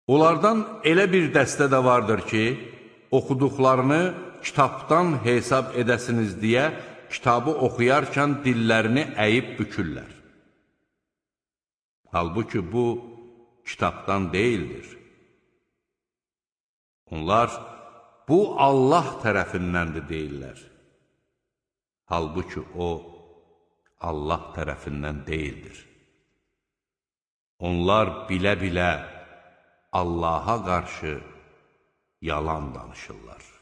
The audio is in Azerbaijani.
Onlardan elə bir dəstə də vardır ki, oxuduqlarını kitabdan hesab edəsiniz deyə kitabı oxuyarkən dillərini əyib bükürlər. Halbuki bu, kitabdan deyildir. Onlar, bu Allah tərəfindəndir deyirlər. Halbuki o, Allah tərəfindən deyildir. Onlar bilə-bilə Allaha qarşı yalan danışırlar.